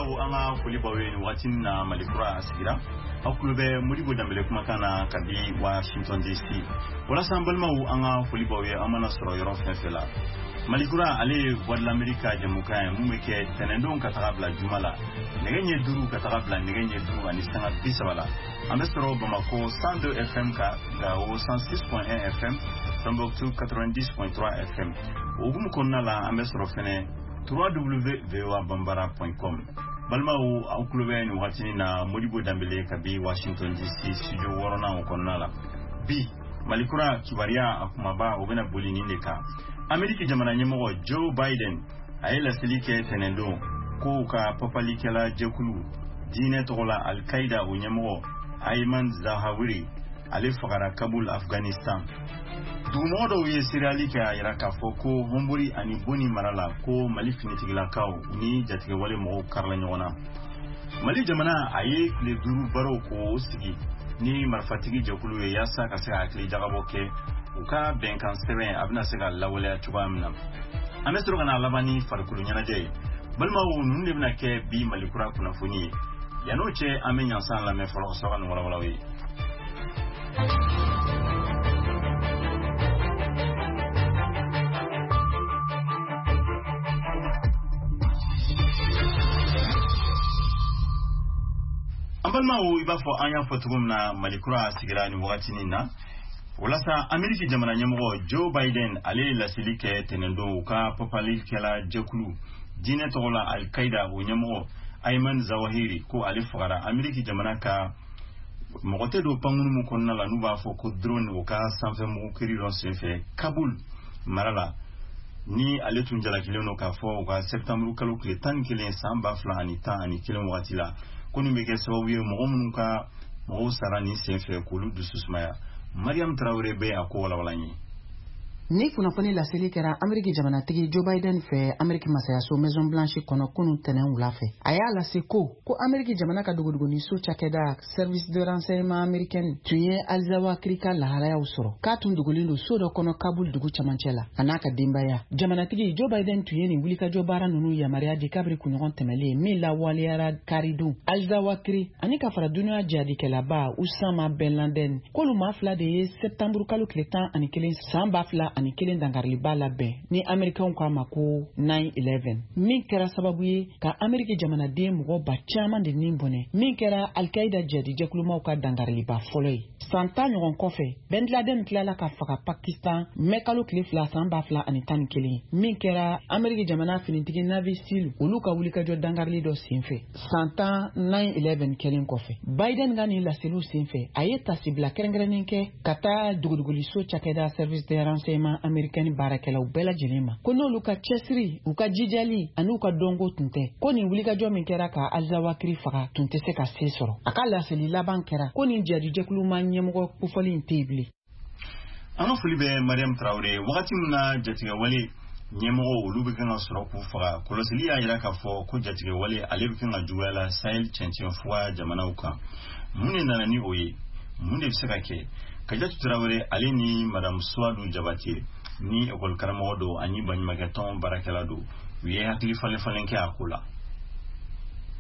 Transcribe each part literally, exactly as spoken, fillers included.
Balimaw, an ka foli b'aw ye nin waati in na. Mali Kura a sigira, aw tulo bɛ Modibo Danbele kumakan na ka di Washington D C. Walasa an balimaw, an ka foli b'aw ye an mana sɔrɔ yɔrɔ fɛn fɛn la. Mali Kura, ale ye Voix de l'Amérique ka jɛmukan ye mun bɛ kɛ tɛnɛndon ka taga bila juma la, nɛgɛ ɲɛ duuru ka taga bila nɛgɛ ɲɛ duuru ani sanga bi saba la. An bɛ sɔrɔ Bamakɔ cent deux F M ka, Gawo cent six point un F M, Tombouctou quatre-vingt-dix point trois F M. O hukumu kɔnɔna la, an bɛ sɔrɔ fɛnɛ w w w point voa bambara point com. Balimaw, aw tulo bɛ nin wagatinin na Modibo Danbele kabi Washington D C studio wɔɔrɔnan o kɔnɔna la. Bi Malikura kibaruya a kumaba, o bɛna boli nin de kan: Ameriki jamana ɲɛmɔgɔ Joe Biden, a ye laseli kɛ tɛnɛndon ko ka papalikɛla jɛkulu diinɛ tɔgɔ la Alkaida, o ɲɛmɔgɔ Ayman Zawahiri, ale fagara Kabul, Afghanistan. Dugumɔgɔ dɔw ye seereyali kɛ a yira k'a fɔ ko Honbori ani Boni mara la, ko Mali finitigilakaw ni jatigɛwale mɔgɔw karila ɲɔgɔn na. Mali jamana, a ye tile duuru barow k'o sigi ni marifatigi jɛkulu ye yaasa ka se ka hakili jagabɔ kɛ u ka bɛnkan sɛbɛn a bɛna se ka lawaleya cogoya min na. An bɛ sɔrɔ ka na laban ni farikolo ɲɛnajɛ ye. Balimaw, ninnu de bɛna kɛ bi Malikura kunnafoni ye. Yann'o cɛ, an bɛ ɲansan lamɛn fɔlɔ ka sɔrɔ ka nin walawalaw ye. An balimaw, i b'a fɔ an y'a fɔ cogo min na, Malikura sigira nin wagatinin na. Walasa Ameriki jamana ɲɛmɔgɔ Joe Biden, ale ye laseli kɛ tɛnɛndon u ka papalikɛla jɛkulu diinɛ tɔgɔ la Alkaida, o ɲɛmɔgɔ Ayman Zawahiri, ko ale fagara Ameriki jamana ka mɔgɔ tɛ don pankunu min kɔnɔna la n'u b'a fɔ ko drone, o ka sanfɛ mugu kiri dɔ senfɛ Kabul mara la, ni ale tun jalakilen don k'a fɔ u ka septembre kalo tile tan ni kelen san ba fila ani tan ani kelen wagati la, ko nin bɛ kɛ sababu ye mɔgɔ minnu ka mɔgɔw sara nin senfɛ, k'olu dusu sumaya. Mariam Tarawele bɛ a ko walawala n ye. Ni kunnafoni laseli kɛra Ameriki jamanatigi Joe Biden fɛ Ameriki masayaso Maison Blanche kɔnɔ kunun tɛnɛn wula fɛ. A y'a lase ko ko Ameriki jamana ka dogodogoniso cakɛda Service de renseignement américain tun ye Alizawakiri ka lahalayaw sɔrɔ, k'a tun dogolen don so dɔ kɔnɔ Kabul dugu camancɛ la, a n'a ka denbaya. Jamanatigi Joe Biden tun ye nin wulikajɔ baara nunu yamaruya di kabiri kunɲɔgɔn tɛmɛlen min lawaleyara karidon. Alizawakiri ani ka fara duniya jihadikɛlaba Usama Ben Laden, k'olu maa fila de ye septembre kalo tile tan ani kelen san ba fila ani kelen dankariliba labɛn ni Amerikɛnw k'a ma ko nine eleven, min kɛra sababu ye ka Ameriki jamanaden mɔgɔ ba caaman de nin bɔnɛ, min kɛra Alkaida jihadijɛkulumaw ka dankariliba fɔlɔ ye. San tan ɲɔgɔn kɔfɛ, Ben Laden tilala ka faga Pakistan mɛ kalo tile fila san ba fila ani tan ni kelen, min kɛra Ameriki jamana finitigi Navy SEAL olu ka wulikajɔ dankarili dɔ senfɛ, san tan nine eleven kɛlen kɔfɛ. Biden ka nin laseliw senfɛ, a ye tasibila kɛrɛnkɛrɛnnen kɛ ka taa dogodogoliso cakɛda Service de renseignement américain baarakɛlaw bɛɛ lajɛlen ma, ko n'olu ka cɛsiri, u ka jijali ani u ka dɔnko tun tɛ, ko nin wulikajɔ min kɛra ka Alizawakiri faga tun tɛ se ka se sɔrɔ. A ka laseli laban kɛra ko nin jihadijɛkulu ma ɲɛmɔgɔ kofɔli in tɛ yen bilen. An ka foli bɛ Mariam Tarawele. Wagati min na jatigɛwale ɲɛmɔgɔw olu bɛ kan ka sɔrɔ k'u faga, kɔlɔsili y'a yira k'a fɔ ko jatigɛwale ale bɛ kan ka juguya la Sahel cɛncɛn fuga jamanaw kan. Mun de nana ni o ye? Mun de bɛ se ka kɛ? Kajatu Tarawele, ale ni Madame Suwadu Jabate, ni ekɔli karamɔgɔ don ani baɲumankɛtɔn baarakɛla don, u ye hakili falen falen kɛ a ko la.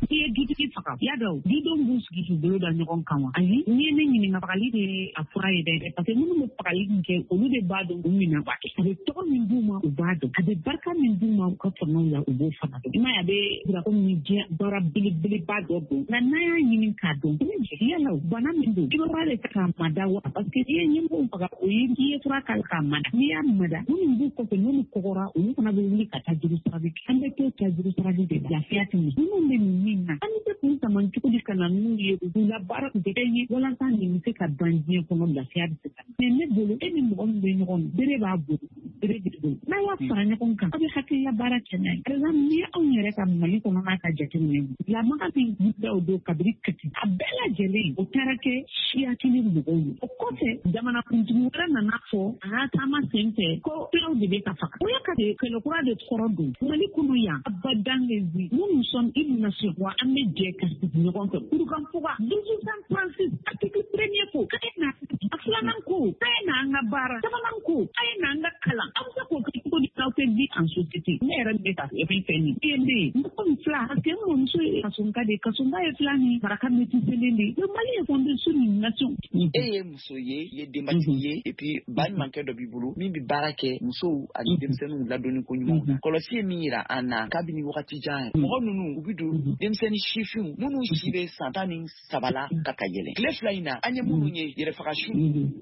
N'i ye dutigi faga, y'a dɔn dudenw b'u sigi k'u bolo da ɲɔgɔn kan wa? Ayi, n'i ye ne ɲininka, fagali de ye a fura ye dɛ, parce que minnu bɛ fagali min kɛ, olu de b'a dɔn u minɛ b'a kɛ. A bɛ tɔgɔ min d'u ma, u b'a dɔn. A bɛ barika min d'u ma u ka fangaw la, u b'o fana dɔn. I m'a ye, a bɛ jira komi diɲɛ baara belebeleba dɔ don, nka n'an y'a ɲini k'a dɔn yala bana min don, i b'a de k'a mada wa? Parce que n'i ye ɲɛmɔgɔw faga, o ye i ye fura k'a la k'a mada. N'i y'a mada, minnu b'u kɔfɛ, n'olu kɔgɔra, olu fana bɛ wuli ka taa juru sarali kɛ. An bɛ to taa juru sarali de, lafiya tɛ ɲɛ. Minnu bɛ nin min na, an bɛ se k'u sama cogo di ka na n'u ye k'u labaara k'u kɛ fɛn ye walasa nin bɛ se ka ban diɲɛ kɔnɔ, lafiya bɛ se ka na? Mais ne bolo, e ni mɔgɔ min bɛ ɲɔgɔn, bere b'a bolo, bere b'i bolo, n'a y'a fara ɲɔgɔn kan, aw bɛ hakilila baara kɛ n'a ye. Par exemple, n'i ye anw yɛrɛ ka Mali kɔnɔna ka jateminɛ, lamaga min wulila o don kabiri Kati, a bɛɛ lajɛlen o taara kɛ siya kelen mɔgɔw ye. O kɔfɛ, jamanakuntigi wɛrɛ nana fɔ a ka taama sen fɛ ko fulaw de bɛ ka faga. O ye ka kɛlɛ kura de kɔrɔ don Mali kɔnɔ yan. Abadan lezi, nous nous sommes une nation, wa an bɛ jɛ ka sigi ɲɔgɔn fɛ. Kurukanfuga, mille huit cent trente-six, article premier ko k'a ye na, a filanan ko k'a ye na an ka baara, sabanan ko a ye na an ka kalan. An bɛ se k'o kɛ cogo di? N'aw tɛ vie en société, ne yɛrɛ bɛ ka fɛn fɛn nin e bɛ yen mɔgɔ min fila parce que n mɔmuso ye kasonka de ye, kasonka ye fila ni maraka métisselen de ye. Le Mali est fondé sur une nation. E ye muso ye, i ye denbatigi ye, et puis baɲumankɛ dɔ b'i bolo min bɛ baara kɛ musow ani denmisɛnninw ladonni ko ɲumanw na. Kɔlɔsi ye min yira an na kabini wagati jan ye, mɔgɔ ninnu u bɛ don denmisɛnnin sifinw minnu si bɛ san tan ni saba la ka ka yɛlɛn. Tile fila in na an ye minnu ye yɛrɛfagasu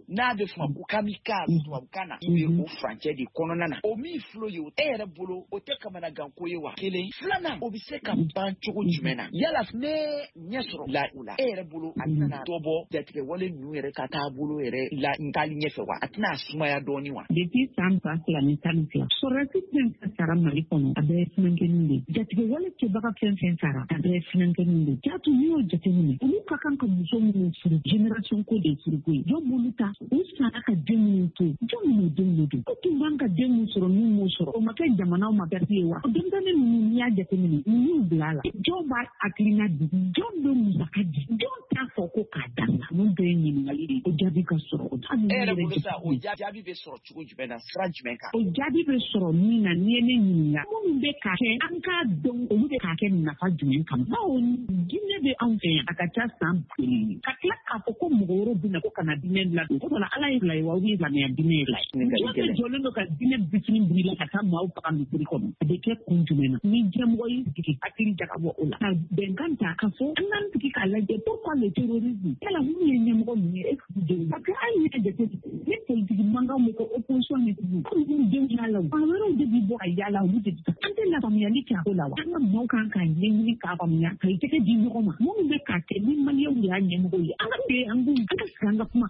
n'a bɛ f'o ma ko kamikaze tubabukan na, i bɛ o furancɛ de kɔnɔna na. O min filɛ ye e yɛrɛ bolo, o tɛ kamanaganko ye wa? Kelen filanan, o bɛ se ka ban cogo jumɛn na? Yala ne ɲɛ sɔrɔ la o la, e yɛrɛ bolo a tɛna dɔ bɔ jatigɛwale ninnu yɛrɛ ka taabolo yɛrɛ la taali ɲɛfɛ wa? A tɛna sumaya dɔɔni wa? Depuis san ba fila ni tan ni fila, sɔrɔdasi fɛn fɛn sara Mali kɔnɔ, a bɛɛ ye funankɛninw de ye. Jatigɛwale kɛbaga fɛn fɛn sara, a bɛɛ ye funankɛninw de ye. Jatu n'i y'o jateminɛ, olu ka kan ka muso minnu furu, génération ko de ye furuko ye. Jɔn b'olu ta? U sara ka den minnu to, jɔn minnu denw de don? O tun b'an ka den min sɔrɔ n'u m'o sɔrɔ, o ma kɛ jamanaw ma perte ye wa? O denmisɛnnin ninnu n'i y'a jateminɛ, mun y'u bila a la? Jɔn b'a hakilina di? Jɔn bɛ musaka di? Jɔn t'a fɔ ko k'a dabila? Ninnu bɛɛ ye ɲininkali de ye. O jaabi ka sɔrɔ. O E yɛrɛ bolo sa, o jaabi bɛ sɔrɔ cogo jumɛn na, sira jumɛn kan? O jaabi bɛ sɔrɔ min na, n'i ye ne ɲininka, minnu bɛ k'a kɛ, an k'a dɔn olu bɛ k'a kɛ nafa jumɛn kama. Bawo diinɛ bɛ anw fɛ yan, a ka ca san kelen. Ka tila k'a fɔ ko mɔgɔ wɛrɛw bɛ na ko ka na diinɛ ladon. O dɔ la Ala ye fila ye wa, ou bien silamɛya diinɛ ye fila ye. Jɔn bɛ jɔlen don ka diinɛ bisini biri la ka taa maaw faga misiri kɔnɔ? A bɛ kɛ kun jumɛn na? Ni diɲɛmɔgɔ y'i sigi hakili jagabɔ o la, ka bɛnkan ta ka fɔ an k'an sigi k'a lajɛ pourquoi le terrorisme? Yala minnu ye ɲɛmɔgɔ ninnu ye, est ce que denw? Parce que hali n'i y'a jateminɛ, ni politiki mankanw bɛ kɛ opposition ni tugun, hali n'u denw y'a la, fan wɛrɛw de bɛ bɔ ka yaala, olu de bɛ taa. An tɛ lafaamuyali kɛ a ko la wa? An ka maaw kan k'a ɲɛɲini k'a faamuya, ka i tɛgɛ di ɲɔgɔn ma. Minnu bɛ k'a kɛ ni maliyɛnw de y'a ɲɛmɔgɔw ye, an ka bɛn, an k'u an ka sigi an ka kuma.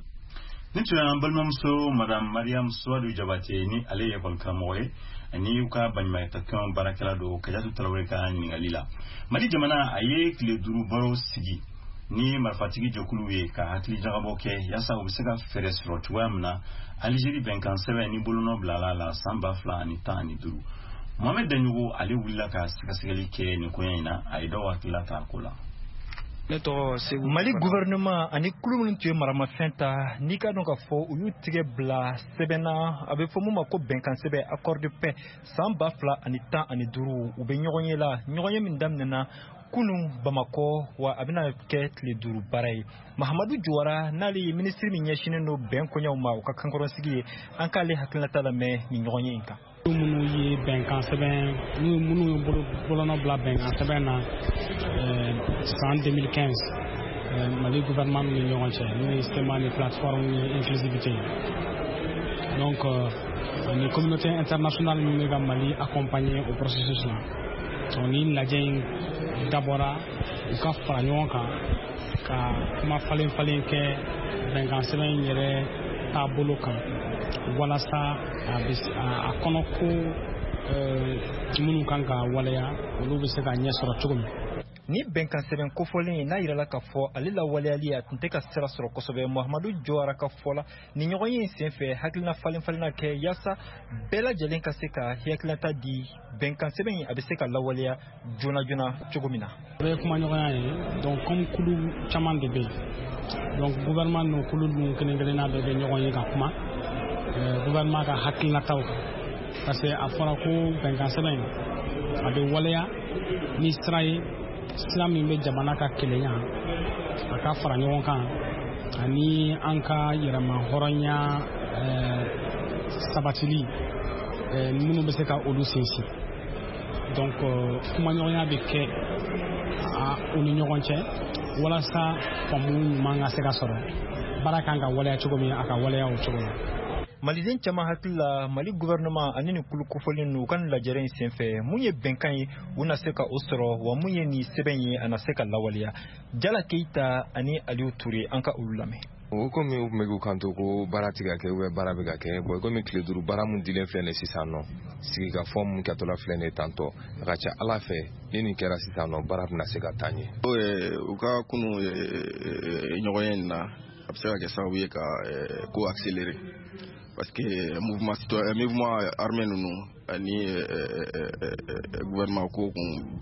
Ni tun y'an balimamuso Madame Mariam Suwadu Jabate, ni ale ye ekɔli karamɔgɔ ye ani u ka baɲumankɛtɔn baarakɛla don, Kajatu Tarawele ka ɲininkali la. Mali jamana a ye tile duuru baro sigi ni marifatigi jɛkuluw ye ka hakili jagabɔ kɛ yaasa u bɛ se ka fɛɛrɛ sɔrɔ cogoya min na Alizeri bɛnkan sɛbɛn ni bolonɔ bilala la san ba fila ani tan ani duuru. Mohamed Daɲogo ale wulila ka sɛgɛsɛgɛli kɛ nin koɲɛ in na, a ye dɔw hakilila ta a ko la. Ne tɔgɔ Segu. Mali gouvernement ani kulu minnu tun ye maramafɛn ta, n'i ka dɔn k'a fɔ u y'u tigɛ bila sɛbɛn na, a bɛ fɔ mun ma ko bɛnkan sɛbɛn, accord de paix, san ba fila ani tan ani duuru, u bɛ ɲɔgɔn ye la, ɲɔgɔn ye min daminɛna kunun Bamakɔ, wa a bɛna kɛ tile duuru baara ye. Mahamadu Jawara, n'ale ye minisiri min ɲɛsinnen don bɛn koɲɛw ma, o ka kankɔrɔsigi ye, an k'ale hakilinata lamɛn nin ɲɔgɔn ye in kan. Minnu ye bɛnkan sɛbɛn, minnu ye bolonɔ bila bɛnkan sɛbɛn na san deux mille quinze Mali gouvernement ni ɲɔgɔn cɛ, n'o ye C M A ni plateforme ni inclusivité. Donc ni communauté internationale min bɛ ka Mali accompagner au processus la. Donc ni lajɛ in dabɔra u ka fara ɲɔgɔn kan ka kuma falen falen kɛ bɛnkan sɛbɛn in yɛrɛ taabolo kan, walasa a bɛ a kɔnɔ ko minnu kan ka waleya, olu bɛ se ka ɲɛ sɔrɔ cogo min. Ni bɛnkan sɛbɛn kofɔlen n'a yirala k'a fɔ ale lawaleyali a tun tɛ ka sira sɔrɔ kosɛbɛ, Mahamadu Jawara ka fɔ la, ni ɲɔgɔn ye in senfɛ hakilina falen falenna kɛ yaasa bɛɛ lajɛlen ka se ka hakilinata di bɛnkan sɛbɛn in a bɛ se ka lawaleya joona joona cogo min na. O ye kumaɲɔgɔnya ye. Donc comme kulu caman de bɛ yen, donc gouvernement n'o kulu ninnu kelen kelenna bɛɛ bɛ ɲɔgɔn ye ka kuma gouvernement ka hakilinataw kan, parce que a fɔra ko bɛnkan sɛbɛn in a bɛ waleya ni sira ye, sira min bɛ jamana ka kelenya, a ka fara ɲɔgɔn kan, ani an ka yɛrɛma hɔrɔnya sabatili minnu bɛ se ka olu sinsin. Donc kumaɲɔgɔnya bɛ kɛ u ni ɲɔgɔn cɛ walasa faamu ɲuman ka se ka sɔrɔ, baara kan ka waleya cogo min, a ka waleya o cogo la. Maliden caman hakili la, Mali gouvernement ani nin kulu kofɔlen ninnu, u ka nin lajɛrɛ in senfɛ, mun ye bɛnkan ye u na se ka o sɔrɔ, wa mun ye nin sɛbɛn ye a na se ka lawaleya? Jala Keyita ani Aliyu Ture, an ka olu lamɛn. O komi u tun bɛ k'u kanto ko baara tɛ ka kɛ ou bien baara bɛ ka kɛ, bon komi tile duuru baara mun dilen filɛ nin sisan nɔ, sigikafɔ mun kɛtɔla filɛ nin ye tantɔ, a ka ca Ala fɛ ni nin kɛra sisan nɔ, baara bɛna se ka taa ɲɛ. U ka kunu ɲɔgɔn ye nin na, a bɛ se ka kɛ sababu ye ka ko accélérer, parce que mouvement citoyen, mouvement armé ninnu ani gouvernement ko kun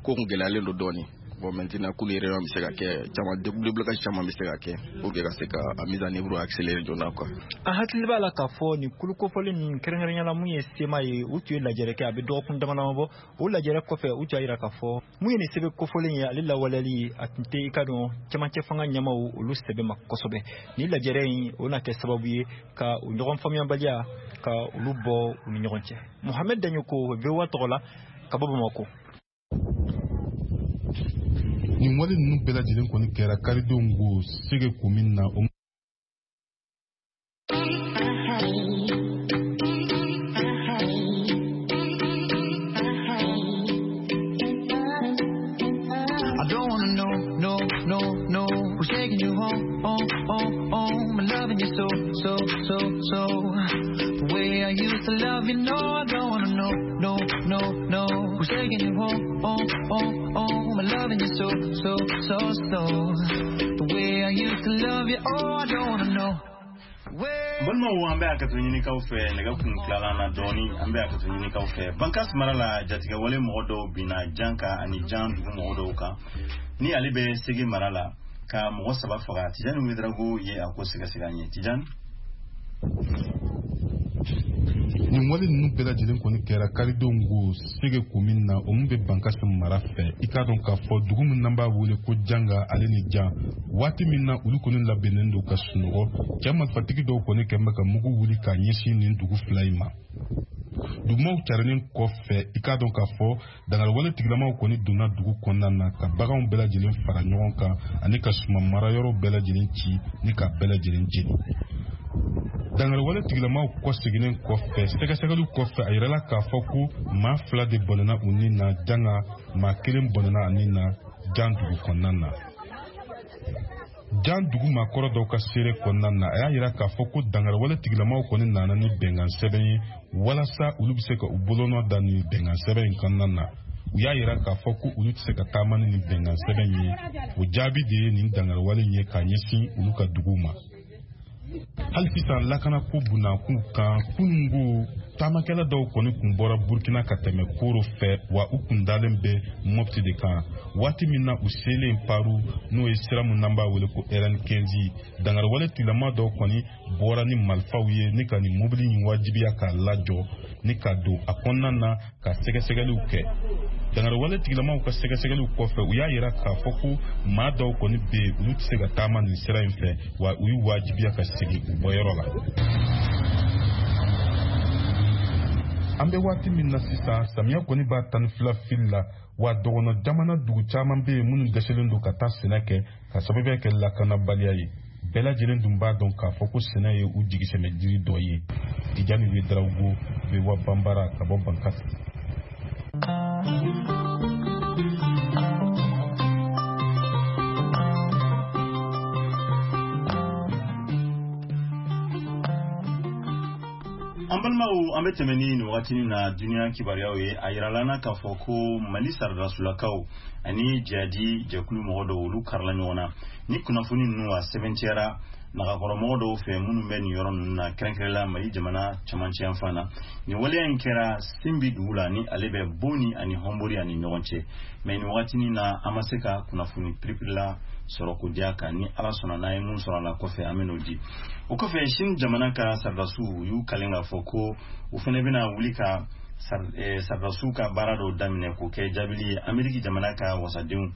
ko kun gɛlɛyalen don dɔɔnin. Bon, maintenant kulu réunion bɛ se ka kɛ caman, déblocage caman bɛ se ka kɛ pour que ka se ka a mise en œuvre accélérer joona quoi. An hakili b'a la k'a fɔ nin kulu kofɔlen ninnu, kɛrɛnkɛrɛnnenya la mun ye C M A ye, u tun ye lajɛrɛ kɛ a bɛ dɔgɔkun dama dama bɔ. O lajɛrɛ kɔfɛ, u tun y'a jira k'a fɔ mun ye nin sɛbɛn kofɔlen ye, ale lawaleyali a tun tɛ i ka dɔn cɛmancɛ fanga ɲɛmaw olu sɛbɛ ma kosɛbɛ. Nin lajɛrɛ in, o na kɛ sababu ye ka u ɲɔgɔn faamuyabaliya ka olu bɔ u ni ɲɔgɔn cɛ. Mohamed Daɲoko, V O A tɔgɔ la, ka bɔ Bamakɔ. Nin wale ninnu bɛɛ lajɛlen kɔni kɛra karidenw ko Sege komin na o. I don't wanna know, no, no, no, who's taking you home, home, home, home, and loving you so, so, so, so. The way I used to love you, no, I don't wanna know, no, no, no, who's taking you home, home, home, home, and loving you so, so, so, so. The way I used to love you, oh, I don't wanna know. Balimaw, an bɛ hakɛto ɲinikaw fɛ, nɛgɛ kun tilala na dɔɔni. An bɛ hakɛto ɲinikaw fɛ. Bankas mara la, jatigɛwale mɔgɔ dɔw binna Jan kan ani Jan dugu mɔgɔ dɔw kan ni ale bɛ Sege mara la, ka mɔgɔ saba faga. Tijani Wedrago ye a ko sɛgɛsɛgɛ an ye. Tijani. Nin wale ninnu bɛɛ lajɛlen kɔni kɛra karidenw ko Sege komin na, o min bɛ Bankasi mara fɛ. I k'a dɔn k'a fɔ dugu min n'an b'a wele ko Janga ale ni Jan, waati min na olu kɔni labɛnnen don ka sunɔgɔ, cɛ marifatigi dɔw kɔni kɛn bɛ ka mugu wuli k'a ɲɛsin nin dugu fila in ma. Dugumaw carinen kɔfɛ, i k'a dɔn k'a fɔ dangariwale tigilamaw kɔni donna dugu kɔnɔna na ka baganw bɛɛ lajɛlen fara ɲɔgɔn kan ani ka suman marayɔrɔw bɛɛ lajɛlen ci ni ka bɛɛ lajɛlen jeni. Dangariwale tigilamaw kɔseginnen kɔfɛ, sɛgɛsɛgɛliw kɔfɛ, a yirala k'a fɔ ko maa fila de bɔnɛna u ni na Janga, maa kelen bɔnɛna a ni na Jan dugu kɔnɔna na. Jan dugu maakɔrɔ dɔw ka seere kɔnɔna na, a y'a yira k'a fɔ ko dangariwale tigilamaw kɔni nana ni bɛnkan sɛbɛn ye walasa olu bɛ se ka u bolonɔ da nin bɛnkan sɛbɛn in kɔnɔna na. U y'a yira k'a fɔ ko olu tɛ se ka taama ni nin bɛnkan sɛbɛn ye. O jaabi de ye nin dangariwale in ye k'a ɲɛsin olu ka duguw ma. Hali sisan, lakanako bunakun kan, kunungo taamakɛla dɔw kɔni kun bɔra Burkina ka tɛmɛ Koro fɛ, wa u kun dalen bɛ Mɔpti de kan. Waati min na u selen Paru, n'o ye sira min n'an b'a wele ko R N quinze, dangariwale tigilama dɔw kɔni bɔra ni marifaw ye ni ka nin mobili in wajibiya k'a lajɔ ni ka don a kɔnɔna na ka sɛgɛsɛgɛliw kɛ. Dangariwale tigilamaw ka sɛgɛsɛgɛliw kɔfɛ, u y'a yira k'a fɔ ko maa dɔw kɔni bɛ yen, olu tɛ se ka taama nin sira in fɛ, wa u y'u wajibiya ka segin u bɔyɔrɔ la. An bɛ waati min na sisan, samiya kɔni b'a tan ni fila fili la, wa dɔgɔnɔ jamana dugu caman bɛ yen minnu dɛsɛlen don ka taa sɛnɛ kɛ ka sababuya kɛ lakanabaliya ye. Bɛɛ lajɛlen dun b'a dɔn k'a fɔ ko sɛnɛ ye u jigisɛmɛ jiri dɔ ye. Tijani Wedrago, V O A Banbara, ka bɔ Bankasi. An balimaw, an bɛ tɛmɛ ni nin wagatinin na duniya kibaruyaw ye. A yirala na k'a fɔ ko Mali saradasulakaw ani jihadi jɛkulu mɔgɔ dɔw, olu karila ɲɔgɔn na. Ni kunnafoni ninnu a sɛbɛncɛra nagakɔrɔmɔgɔ dɔw fɛ minnu bɛ nin yɔrɔ ninnu na, kɛrɛnkɛrɛnla Mali jamana camancɛ yanfan na. Nin waleya in kɛra Sinbi dugu la, ni ale bɛ Boni ani Hɔnbori ani ɲɔgɔn cɛ. Mɛ nin wagatinin na, an ma se ka kunnafoni piripirila sɔrɔ ko diya kan. Ni Ala sɔnna, n'an ye mun sɔrɔ a la kɔfɛ, an bɛ n'o di. O kɔfɛ, Sini jamana ka saradasiw u y'u kalen k'a fɔ ko u fana bɛna wuli ka saradasiw ka baara dɔw daminɛ k'o kɛ jaabili ye Ameriki jamana ka wasadenw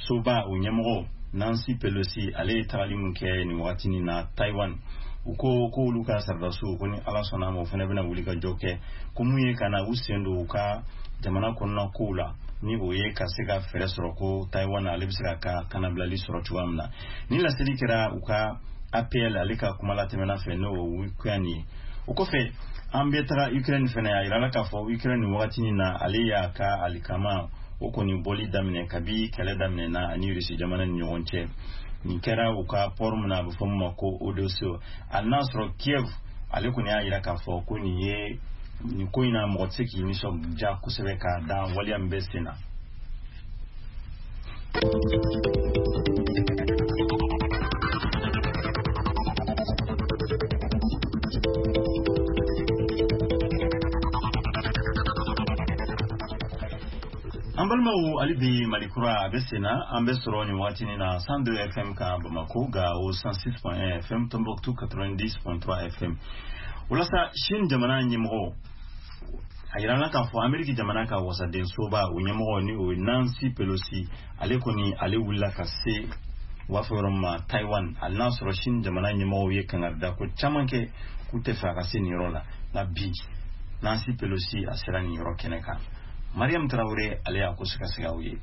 soba o ɲɛmɔgɔ Nancy Pelosi, ale ye tagali min kɛ nin wagatinin na Taiwan. U ko ko olu ka saradasiw ko ni Ala sɔnna a ma, o fana bɛna wuli ka jɔ kɛ ko mun ye ka na u sen don u ka jamana kɔnɔna kow la, ni o ye ka se ka fɛɛrɛ sɔrɔ ko Taiwan ale bɛ se ka ka kanabilali sɔrɔ cogoya min na. Ni laseli kɛra u ka A P L ale ka kuma latɛmɛna fɛ, n'o ye Wikuyan ye. O kɔfɛ, an bɛ taga Ukraine fɛnɛ. A yirala k'a fɔ Ukraine nin wagatinin na, ale y'a ka alikama o kɔni bɔli daminɛ kabi kɛlɛ daminɛna ani Rusi jamana ni ɲɔgɔn cɛ. Nin kɛra u ka port min na, a bɛ fɔ min ma ko Odessa. A n'a sɔrɔ Kiev ale kɔni y'a yira k'a fɔ ko nin ye nin ko in na, mɔgɔ tɛ se k'i nisɔndiya kosɛbɛ k'a da waleya min bɛ sen na. An balimaw. Balimaw, hali bi Malikura a bɛ sen na. An bɛ sɔrɔ nin waati na cent deux F M kan Bamako, Gao cent six point un F M, Tombouctou quatre-vingt-dix point trois F M. Walasa Chine jamana ɲɛmɔgɔ a yirala k'a fɔ Ameriki jamana ka wasadensoba o ɲɛmɔgɔ, ni o ye Nancy Pelosi, ale kɔni ale wulila ka se, u b'a fɔ yɔrɔ min ma Taiwan. Hali n'a sɔrɔ Chine jamana ɲɛmɔgɔw ye kangarida ko caman kɛ k'u tɛ fɛ a ka se nin yɔrɔ la, nka bi Nancy Pelosi a sera nin yɔrɔ kɛnɛ kan. Mariam Tarawele, ale y'a ko sɛgɛsɛgɛ aw ye.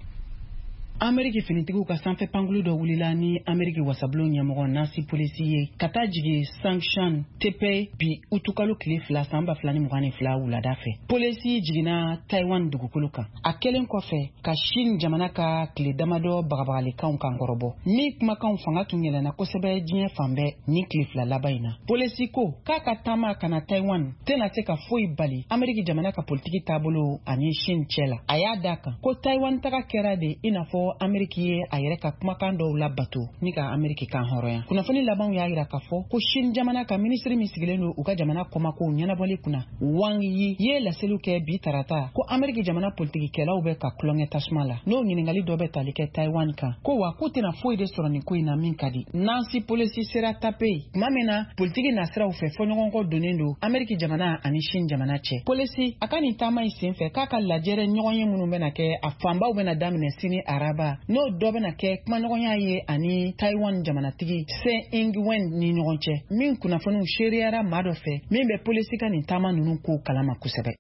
Ameriki finitigiw ka sanfɛ pankulu dɔ wulila ni Ameriki wasabulon ɲɛmɔgɔ Nancy Pelosi ye ka taa jigin Songshan Tepe bi utukalo tile fila san ba fila ni mugan ni fila wulada fɛ. Pelosi jiginna Taiwan dugukolo kan a kɛlen kɔfɛ ka Chine jamana ka tile damadɔ bagabagalikanw kan kɔrɔbɔ, min kumakanw fanga tun yɛlɛnna kosɛbɛ diɲɛ fan bɛɛ ni tile fila laban in na. Pelosi ko k'a ka taama ka na Taiwan tɛna se ka foyi bali Ameriki jamana ka politiki taabolo ani Chine cɛ la. A y'a da kan ko Taiwan taga kɛra de i n'a fɔ Ameriki ye a yɛrɛ ka kumakan dɔw labato ni ka Ameriki kan hɔrɔnya. Kunnafoni labanw y'a yira k'a fɔ ko Chine jamana ka minisiri min sigilen don u ka jamana kɔmakow ɲɛnabɔli kunna, Wang Yi, ye laseliw kɛ bi tarata ko Ameriki jamana politikikɛlaw bɛ ka tulonkɛ tasuma la, n'o ɲiningali dɔ bɛ tali kɛ Taiwan kan, ko wa k'u tɛna foyi de sɔrɔ nin ko in na min ka di. Nancy Pelosi sera Taipei tuma min na politiki nasiraw fɛ fɔɲɔgɔnkɔ donnen don Ameriki jamana ani Chine jamana cɛ. Pelosi a ka nin taama in sen fɛ, k'a ka lajɛrɛ ɲɔgɔn ye minnu bɛna kɛ, a fanbaw bɛna daminɛ sini araba, n'o dɔ bɛna kɛ kumaɲɔgɔnya ye ani Taiwan jamanatigi Tsai Ing-wen ni ɲɔgɔn cɛ, min kunnafoniw seereyara maa dɔ fɛ min bɛ Pelosi ka nin taama ninnu ko kalama kosɛbɛ.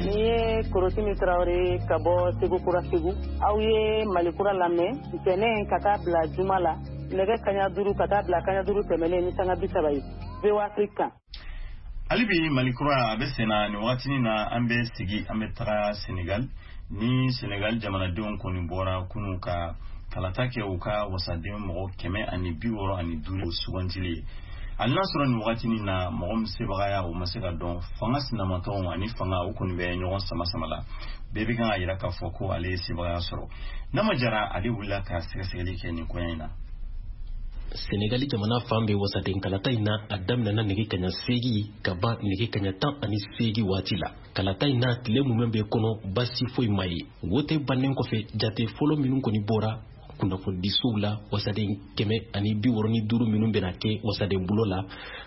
Ni ye Korotimi Tarawele ka bɔ Segu Kura, Segu. Aw ye Malikura lamɛn ntɛnɛn ka taa bila juma la, nɛgɛ kaɲa duuru ka taa bila kaɲa duuru tɛmɛnen ni sanga bi saba ye, V O A Afrique kan. Hali bi Malikura a bɛ sen na. Nin wagatinin na, an bɛ sigi, an bɛ taga Senegal. Ni Senegal jamanadenw kɔni bɔra kunu ka kalata kɛ u ka wasaden mɔgɔ kɛmɛ ani bi wɔɔrɔ ani duuru sugantili ye. Hali n'a sɔrɔ nin wagatinin na mɔgɔ min sebagaya o ma se ka dɔn, fanga sinamatɔnw ani fanga o kɔni bɛ ɲɔgɔn sama sama la, bɛɛ bɛ kan ka yira k'a fɔ ko ale ye sebagaya sɔrɔ. Nama Jara, ale wulila ka sɛgɛsɛgɛli kɛ nin koɲɛ in na. Senegali jamana fan bɛ wasaden kalata in na, a daminɛna nɛgɛ kaɲa seegi ka ban nɛgɛ kaɲa tan ani seegi waati la. Kalata in na, tile mumɛ bɛ kɔnɔ, basi foyi ma ye. Wote bannen kɔfɛ, jate fɔlɔ minnu kɔni bɔra kunnafonidisow la, wasaden kɛmɛ ani bi wɔɔrɔ ni duuru minnu bɛna kɛ wasaden bulo la,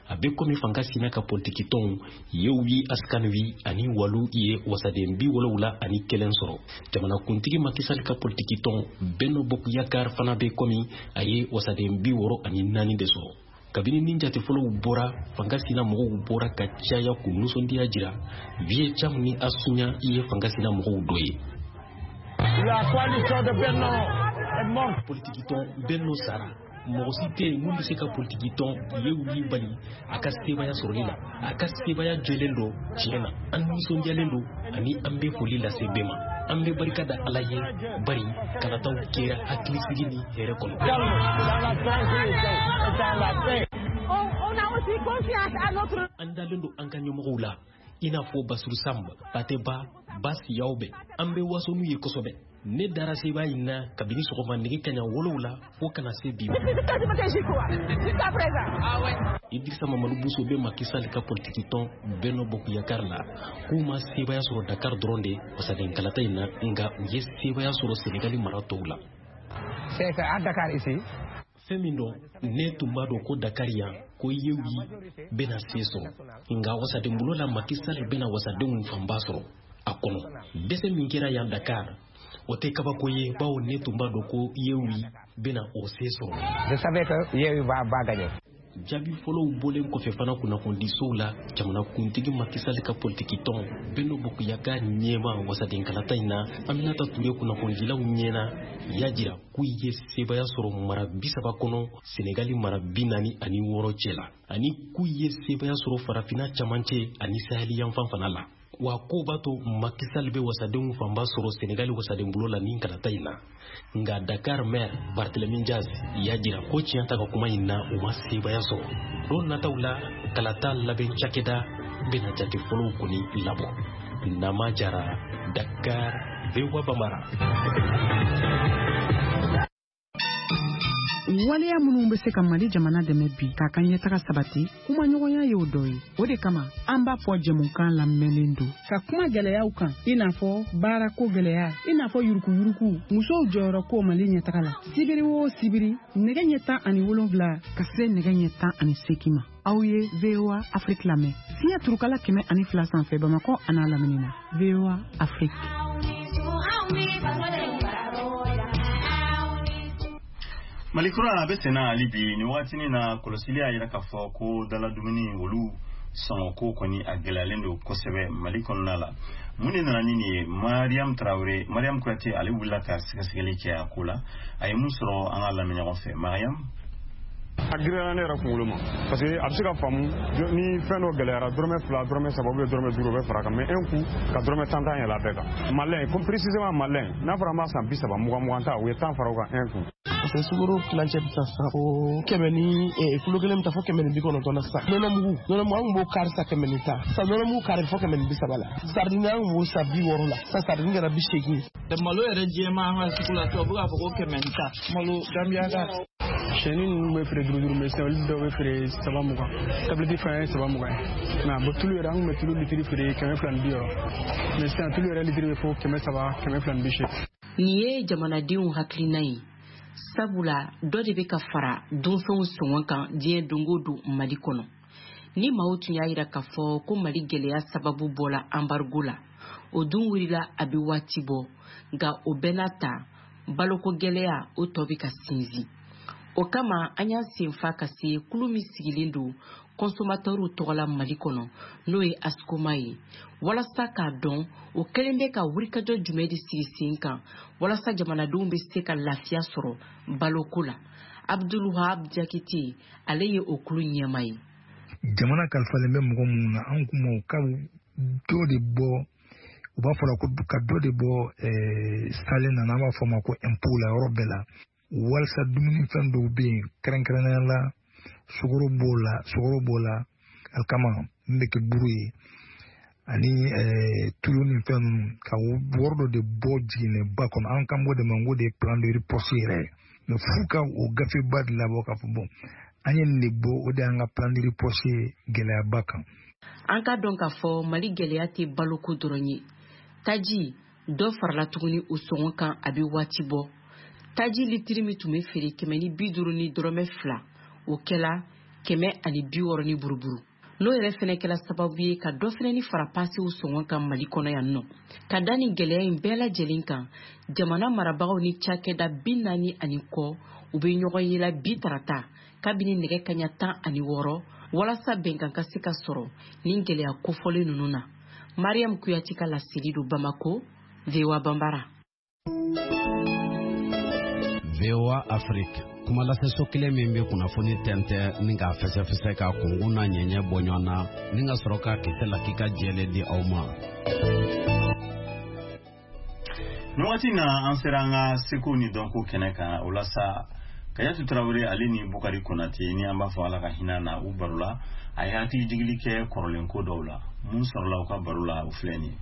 a bɛ komi fanga sina ka politikitɔnw Yewwi Askan Wi ani Walu ye wasaden bi wolowula ani kelen sɔrɔ. Jamanakuntigi Macky Sall ka politikitɔn Benno Bokk Yakaar fana bɛ komi a ye wasaden bi wɔɔrɔ ani naani de sɔrɔ. Kabini ni jate fɔlɔw bɔra, fanga sina mɔgɔw bɔra ka caya k'u nisɔndiya jira. Vieux Cham ni Asuɲa ye fanga sina mɔgɔw dɔ ye. La coalition de Benno est morte. Politikitɔn Benno sara. Mɔgɔ si tɛ yen mun bɛ se ka politikitɔn Yewwi bali a ka sebaya sɔrɔli la. A ka sebaya jɛlen don. Tiɲɛ na, an nisɔndiyalen don ani an bɛ foli lase bɛɛ ma. An bɛ barika da Ala ye, bari kalataw kɛra hakilisigi ni hɛrɛ kɔnɔ. Dans la tranquillité et dans la paix. On, on a aussi confiance à notre An dalen don an ka ɲɛmɔgɔw la, i n'a fɔ Basiru Samba, Pateba Basiyaw bɛ. An bɛ waso n'u ye kosɛbɛ. Ne dara seba in na kabini sɔgɔma nɛgɛ kaɲa wolowula fo kana se bi ma. Jusqu'à présent. Ah ouais. Idrissa Mamadou Bousso bɛ Macky Sall ka politikitɔn Benno Bokk Yakaar la, k'u ma sebaya sɔrɔ Dakar dɔrɔn de wasaden kalata in na, nka u ye sebaya sɔrɔ Senegali mara tɔw la. C'est qu'à Dakar ici, Fɛn min dɔn, ne tun b'a dɔn ko Dakar yan, ko Yewwi bɛna se sɔrɔ, nka wasaden bulo la, Macky Sall bɛna wasadenw fanba sɔrɔ a kɔnɔ. Dɛsɛ min kɛra yan Dakar, o tɛ kabako ye, bawo ne tun b'a dɔn ko Yewwi bɛna o se sɔrɔ. Je savais que Yewwi va, va gagner. Jaabi fɔlɔw bɔlen kɔfɛ fana kunnafonidisow la, jamanakuntigi Macky Sall ka politikitɔn Benno Bokk Yakaar ɲɛma wasaden kalata in na, Aminata Touré, kunnafonidilaw ɲɛna y'a jira k'u ye sebaya sɔrɔ mara bi saba kɔnɔ Senegali mara bi naani ani wɔɔrɔ cɛ la, ani k'u ye sebaya sɔrɔ Farafinna camancɛ ani Saheli yanfan fana la. Wa ko b'a to Macky Sall bɛ wasadenw fanba sɔrɔ Senegali wasaden bulo la nin kalata in na. Nka Dakar maire Barthélémy Diaz y'a jira ko tiɲɛ ta ka kuma in na, u ma sebaya sɔrɔ. Don nataw la, kalata labɛn cakɛda bɛna jate fɔlɔw kɔni labɔ. Nama Jara, Dakar, V O A Bambara. Waleya minnu bɛ se ka Mali jamana dɛmɛ bi k'a ka ɲɛtaga sabati, kumaɲɔgɔnya y'o dɔ ye. O de kama an b'a fɔ jɛmukan lamɛnlen don ka kuma gɛlɛyaw kan, i n'a fɔ baarako gɛlɛya, i n'a fɔ yurukuyuruku, musow jɔyɔrɔ ko Mali ɲɛtaga la. Sibiri o sibiri, nɛgɛ ɲɛ tan ani wolonwula ka se nɛgɛ ɲɛ tan ani seegin ma. Aw ye V O A Afrique lamɛn. Fiɲɛ turukala kɛmɛ ani fila sanfɛ Bamakɔ an'a lamini na. V O A Afrique. Malikura a bɛ senna hali bi nin waatinin na, kɔlɔsili y'a yira k'a fɔ ko daladumuni olu sɔngɔko kɔni a gɛlɛyalen don kosɛbɛ Mali kɔnɔna la. Mun de nana ni nin ye? Mariam Traoré, Mariam Kuyate ale wulila ka sɛgɛsɛgɛli kɛ a ko la. A ye mun sɔrɔ an ka lamɛn ɲɔgɔn fɛ. Mariam. A girinyara ne yɛrɛ kunkolo ma parce que a bɛ se ka faamu ni fɛn dɔ gɛlɛyara, dɔrɔmɛ fila, dɔrɔmɛ saba ou bien dɔrɔmɛ duuru o bɛ fara kan, mais un coup ka dɔrɔmɛ tan tan yɛlɛ a bɛɛ kan. Malɛn, comme précisément malɛn, n'a fɔra an b'a san bi saba, mugan mugan ta, u ye tan fara o kan un coup. Parce que sukaro tilancɛ bɛ taa san fo kɛmɛ ni kilo kelen bɛ taa fo kɛmɛ ni bi kɔnɔntɔn na sisan. Nɔnɔmugu nɔnɔmugu an tun b'o kari sa kɛmɛ ni tan, sisan nɔnɔmugu kari fo kɛmɛ ni bi saba la. Sardine an tun b'o san bi wɔɔrɔ la, sisan sardine kɛra bi seegin. Malo yɛrɛ jɛman an ka sugu la, tubabu b'a fɔ ko kɛmɛ ni tan, malo Gambia ka. Sɛni ninnu bɛ feere duuru duuru, mais sisan olu dɔw bɛ feere saba mugan. Tablette fana ye saba mugan ye. Mais bon, tulu yɛrɛ an tun bɛ tulu litiri feere kɛmɛ fila ni bi wɔɔrɔ, mais sisan tulu yɛrɛ litiri bɛ fo kɛmɛ saba, kɛmɛ fila ni bi seegin. Nin ye jamanadenw hakilina ye, sabula dɔ de bɛ ka fara dunfɛnw sɔngɔ kan diɲɛ don o don Mali kɔnɔ. Ni maaw tun y'a yira k'a fɔ ko Mali gɛlɛya sababu bɔla embargo la, o dun wulila a bɛ waati bɔ, nka o bɛɛ n'a ta baloko gɛlɛya o tɔ bɛ ka sinsin. O kama an y'an senfa ka se kulu min sigilen don consommateurs tɔgɔ la Mali kɔnɔ, n'o ye ASCOMA ye, walasa k'a dɔn o kɛlen bɛ ka wulikajɔ jumɛn de sigi sen kan walasa jamanadenw bɛ se ka lafiya sɔrɔ baloko la. Abdulwahab Jakite, ale ye o kulu ɲɛmaa ye. Jamana kalifalen bɛ mɔgɔ minnu na, an kuma u ka dɔ de bɔ, u b'a fɔ la ko ka dɔ de bɔ salen na, n'an b'a fɔ o ma ko impôt la yɔrɔ bɛɛ la, walasa dumunifɛn dɔw bɛ yen, kɛrɛnkɛrɛnnenya la sukaro b'o la, sukaro b'o la, alikama min bɛ kɛ buru ye, ani tulu ni fɛn ninnu, ka wari dɔ de bɔ jiginɛba kɔnɔ. An kan b'o de ma ko de plan de riposte yɛrɛ ye, mais f'u ka o gafeba de labɔ k'a fɔ bon, an ye nin de bɔ, o de y'an ka plan de riposte ye gɛlɛyaba kan. An ka dɔn k'a fɔ Mali gɛlɛya tɛ baloko dɔrɔn ye. Taji dɔ farala tuguni o sɔngɔ kan a bɛ waati bɔ. Taji litiri min tun bɛ feere kɛmɛ ni bi duuru ni dɔrɔmɛ fila, o kɛla kɛmɛ ani bi wɔɔrɔ ni buruburu. N'o yɛrɛ fɛnɛ kɛla sababu ye ka dɔ fɛnɛ ni fara pasew sɔngɔ kan Mali kɔnɔ yan nɔ. Ka da nin gɛlɛya in bɛɛ lajɛlen kan, jamana marabagaw ni cakɛda bi naani ani kɔ u bɛ ɲɔgɔn ye la bi tarata kabini nɛgɛ kaɲa tan ani wɔɔrɔ walasa bɛnkan ka se ka sɔrɔ nin gɛlɛya kofɔlen ninnu na. Mariam Kuyate ka laseli don Bamako, V O A Banbara. V O A Afrique, kuma laseso kelen min bɛ kunnafoni tɛntɛn ni k'a fɛsɛfɛsɛ k'a kunkun n'a ɲɛɲɛ bɔ ɲɔgɔn na ni ka sɔrɔ k'a kisɛ lakika jɛlen di aw ma. Nin waati in na, an sera an ka seko ni dɔnko kɛnɛ kan. O la sa, Kayatu Tarawele ale ni Bukari Konate, ni an b'a fɔ Ala ka hinɛ na, u baro la, a ye hakili jigili kɛ kɔrɔlen ko dɔw la. Mun sɔrɔla u ka baro la, o filɛ nin ye.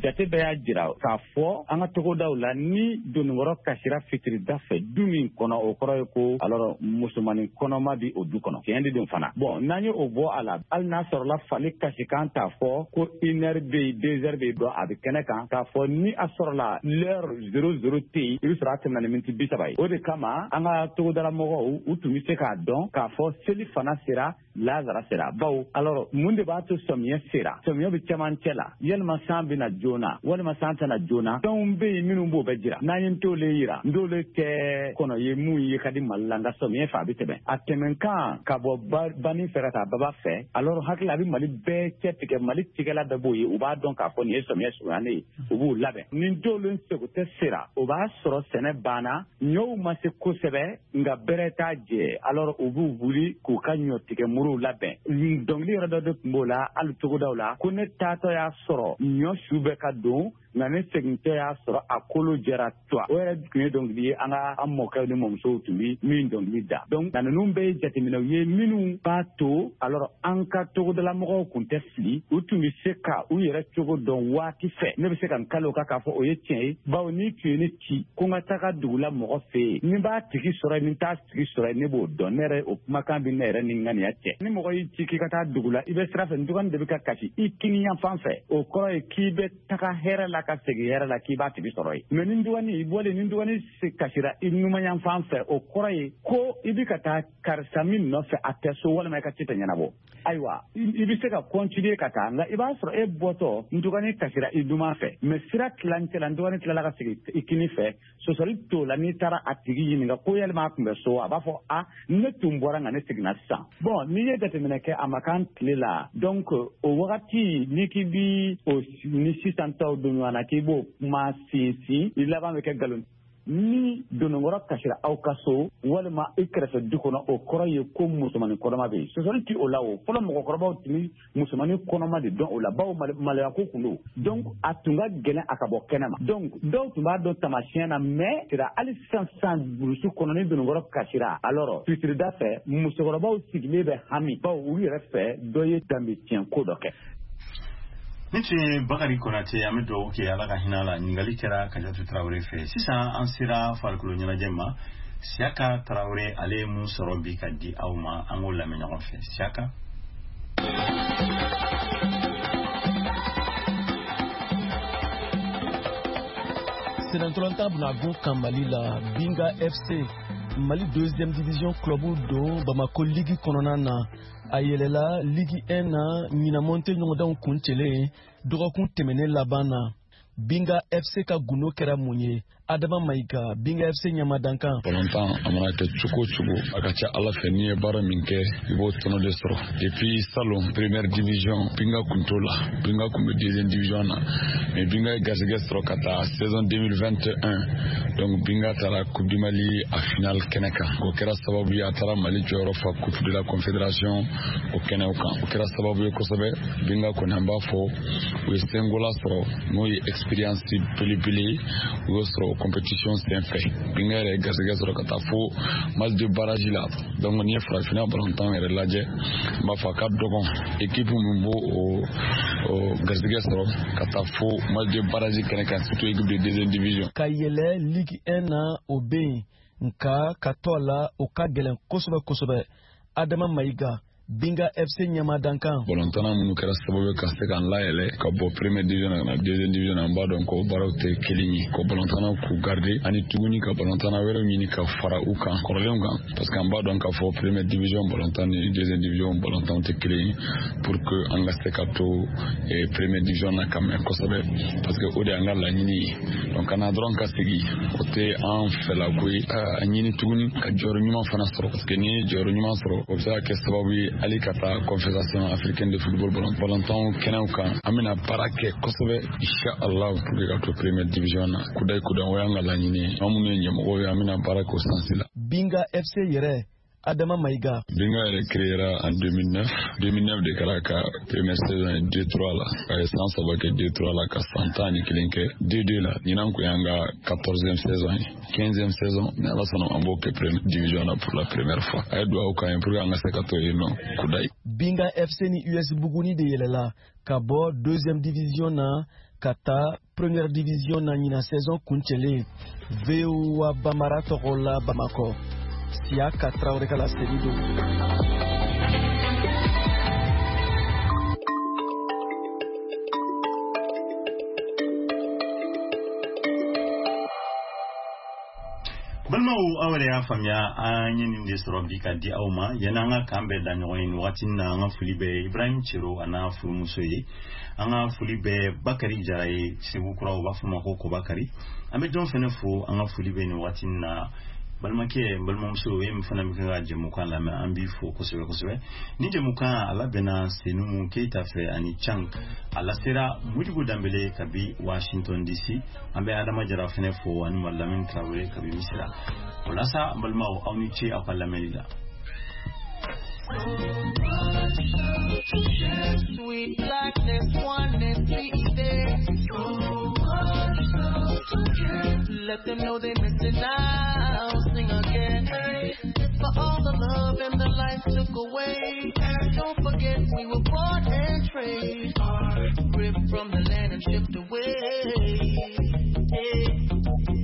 Jate bɛɛ y'a jira k'a fɔ an ka togodaw la, ni doninkɔrɔ kasira fitirida fɛ du min kɔnɔ, o kɔrɔ ye ko alors musomanin kɔnɔma bi o du kɔnɔ. Tiɲɛ de don fana. Bon, n'an ye o bɔ a la, hali n'a sɔrɔla fali kasikan t'a fɔ ko une heure bɛ yen, deux heures bɛ yen, dɔn a bɛ kɛnɛ kan k'a fɔ ni a sɔrɔla l'heure zéro zéro tɛ yen, i bɛ sɔrɔ a tɛmɛna ni miniti bi saba ye. O de kama an ka togodala mɔgɔw u tun bɛ se k'a dɔn k'a fɔ seli fana sera, lazara sera. Bawo alors mun de b'a to sɔmiyɛ sera? Sɔmiyɛ bɛ cɛmancɛ la, yalima san bɛ na joona walima san tɛna joona. Fɛnw bɛ yen minnu b'o bɛɛ jira. N'an ye ntole yira, ntole tɛ kɔnɔ ye mun ye ka di Mali la, nka sɔmiyɛ fɛ a bɛ tɛmɛ. A tɛmɛnkan ka bɔ banni fɛ ka taa baba fɛ, alors hakili a bɛ Mali bɛɛ cɛ tigɛ. Mali tigɛla bɛɛ b'o ye, u b'a dɔn k'a fɔ nin ye sɔmiyɛ surunyalen ye, u b'u labɛn. Ni ntole sego tɛ sera, o b'a sɔrɔ sɛnɛ banna, ɲɔw ma se kosɛbɛ, nka bɛrɛ t'a jɛ. Alors u b'u wuli k'u ka ɲɔ tigɛ muruw labɛn. Dɔnkili yɛrɛ dɔ de tun b'o la hali togodaw la, ko ne taatɔ y'a sɔrɔ ɲɔ su bɛ ka don Nka ne segintɔ y'a sɔrɔ a kolo jɛra tuwa. O yɛrɛ tun ye dɔnkili ye an ka an mɔkɛw ni mɔmusow tun bɛ min dɔnkili da. Donc nka ninnu bɛɛ ye jateminɛw ye minnu b'a to alors an ka togodalamɔgɔw tun tɛ fili, u tun bɛ se ka u yɛrɛ cogo dɔn waati fɛ. Ne bɛ se ka n kali o kan k'a fɔ o ye tiɲɛ ye, bawo n'i tun ye ne ci ko n ka taga dugu la mɔgɔ fɛ yen, ni n b'a tigi sɔrɔ yen, ni n t'a tigi sɔrɔ yen, ne b'o dɔn. Ne yɛrɛ o kumakan bɛ ne yɛrɛ ni ŋaniya cɛ. Ni mɔgɔ y'i ci k'i ka taa dugu la, i bɛ sira fɛ, ntugani de bɛ ka kasi i kiniyanfan fɛ, o kɔrɔ ye k'i bɛ taga hɛrɛ la ka segin hɛrɛ la, k'i b'a tigi sɔrɔ yen. Mais ni ntugani i bɔlen, ni ntugani kasira i numanyanfan fɛ, o kɔrɔ ye ko i bɛ ka taa karisa min nɔfɛ a tɛ so walima i ka ci tɛ ɲɛnabɔ. Ayiwa, i bɛ se ka continuer ka taa, nka i b'a sɔrɔ e bɔtɔ ntugani kasira i numan fɛ, mais sira tilancɛ la ntugani tilala ka segin i kini fɛ, sɔsɔli t'o la. N'i taara a tigi ɲininka ko yalima a tun bɛ so, a b'a fɔ a ne tun bɔra nka ne seginna sisan. Bon, n'i ye jateminɛ kɛ a ma k'an tile la, donc o wagati n'i k'i bi o ni sisan taw don ɲɔgɔn na k'i b'o kuma sinsin, i laban bɛ kɛ nkalon. Ni dononkɔrɔ kasira aw ka so walima i kɛrɛfɛ du kɔnɔ, o kɔrɔ ye ko musomanin kɔnɔma bɛ yen. Sɔsɔli ti o la. O fɔlɔ mɔgɔkɔrɔbaw tun bɛ musomanin kɔnɔma de dɔn o la, bawo maloya ko kun don. Donc a tun ka gɛlɛn a ka bɔ kɛnɛ ma. Donc dɔw tun b'a dɔn taamasiyɛn na, mais sira hali sisan sisan burusi kɔnɔ ni dononkɔrɔ kasira, alors fitirida fɛ musokɔrɔbaw sigilen bɛ hami, bawo u yɛrɛ fɛ dɔ ye danbe tiɲɛ ko dɔ kɛ. Ni tun ye Bakari Konate, an bɛ dugawu kɛ Ala ka hinɛ la. Ɲininkali kɛra Kajatu Tarawele fɛ. Sisan an sera farikolo ɲɛnajɛ ma. Siyaka Tarawele ale ye mun sɔrɔ bi ka di aw ma, an k'o lamɛn ɲɔgɔn fɛ. Siyaka. Senatɔlɔntan bɛna kan Mali la, Binga F C, Mali deuxième division club don Bamako Ligue kɔnɔna na. A yɛlɛla Ligue un na ɲinan monte ɲɔgɔndanw kuncɛlen dɔgɔkun tɛmɛnen laban na. Binga F C ka gundo kɛra mun ye? Adama Mayiga, Binga F C ɲamadankan. Balontan a mana kɛ cogo o cogo, a ka ca Ala fɛ n'i ye baara min kɛ, i b'o tɔnɔ de sɔrɔ. Depuis salon première division, Binga kun t'o la. Binga kun bɛ deuxième division na. Mais Binga ye garisɛgɛ sɔrɔ ka taa saison deux mille vingt et un. Donc Binga taara Coupe du Mali a finale kɛnɛ kan. O kɛra sababu ye a taara Mali jɔyɔrɔ fa Coupe de la Confédération o kɛnɛw kan. O kɛra sababu ye kosɛbɛ. Binga kɔni an b'a fɔ u ye sengola sɔrɔ, n'o ye expérience belebele ye, u y'o sɔrɔ compétition senfɛ. Binga yɛrɛ ye garisɛgɛ sɔrɔ ka taa fo match de barrage la. Donc n'i ye farafinna balontan yɛrɛ lajɛ, n b'a fɔ a ka dɔgɔn équipe min b'o o garisɛgɛ sɔrɔ ka taa fo match de barrage kɛnɛ kan, surtout équipe de deuxième division. Ka yɛlɛ Ligue un na o bɛ yen, nka ka to a la o ka gɛlɛn kosɛbɛ kosɛbɛ. Adama Mayiga, Binga F C ɲamadankan. Balontanna minnu kɛra sababu ye ka se k'an layɛlɛ ka bɔ première division na ka na deuxième division na, an b'a dɔn ko baaraw tɛ kelen ye. Ko balontannaw k'u garder ani tuguni ka balontanna wɛrɛw ɲini ka fara u kan kɔrɔlenw kan, parce que an b'a dɔn k'a fɔ première division balontan ni deuxième division balontanw tɛ kelen ye, pour que an ka se ka to première division na ka mɛn kosɛbɛ, parce que o de y'an ka laɲini ye. Donc ka na dɔrɔn ka segin, o tɛ an fɛlako ye. A ɲini tuguni ka jɔyɔrɔ ɲuman fana sɔrɔ, parce que n'i ye jɔyɔrɔ ɲuman sɔrɔ, o bɛ se ka kɛ sababu ye hali ka taa Confédération africaine de football balontan kɛnɛw kan. An bɛna baara kɛ kosɛbɛ inshallah pour que ka to première division na. Kudayi kudayi, o y'an ka laɲini ye. An minnu ye ɲɛmɔgɔw ye, an bɛna baara kɛ o sansi la. Binga F C yɛrɛ, Adama Mayiga. Binga yɛrɛ créera en deux mille neuf. deux mille neuf de kɛra ka première saison ye deux trois la. A ye san saba kɛ deux trois la ka san tan ni kelen kɛ deux deux la. Ɲinan kun y'an ka quatorzième saison ye. quinzième saison, ni Ala sɔnna an b'o kɛ première division na pour la première fois. A ye dugawu k'an ye pour que an ka se ka to yen nɔ kudayi. Binga F C ni U S Buguni de yɛlɛla ka bɔ deuxième division na ka taa première division na ɲinan saison kuncɛlen. V O A Bamara tɔgɔ la Bamakɔ. Siyaka Traoré ka laseli don. Balimaw, aw yɛrɛ y'a faamuya an ye nin de sɔrɔ bi ka di aw ma. Yanni an ka kan bɛɛ da ɲɔgɔn ye nin wagati na, an ka foli bɛ Ibrahim Cero a n'a furumuso ye. An ka foli bɛ Bakari Jara ye Segu Kura, u b'a fɔ ma ko Kobakari. An bɛ jɔn fɛnɛ fo, an ka foli bɛ nin wagati na. Balimakɛ, balimamuso, e min fana bɛ ka jɛmukan lamɛn, an b'i fo kosɛbɛ kosɛbɛ. Ni jɛmukan a labɛnna Senumu Keyita fɛ ani Cang, a lasera Modibo Danbele kabi Washington D C. An bɛ Adama Jara fɛnɛ fo ani Malamine Traoré kabi Misira. O la sa, balimaw, aw ni ce aw ka lamɛnni la. Sweet blackness, oneness, so Let them know they missing out. Sing again. For all the love and the life took away. Don't forget we were bought and traded, ripped from the land and shipped away.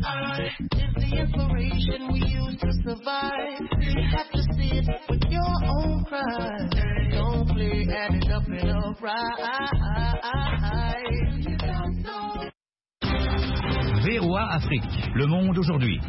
I is the inspiration we use to survive. You have to see it with your own pride. Don't play, add it up and up right. V O A Afrique, le monde aujourd'hui.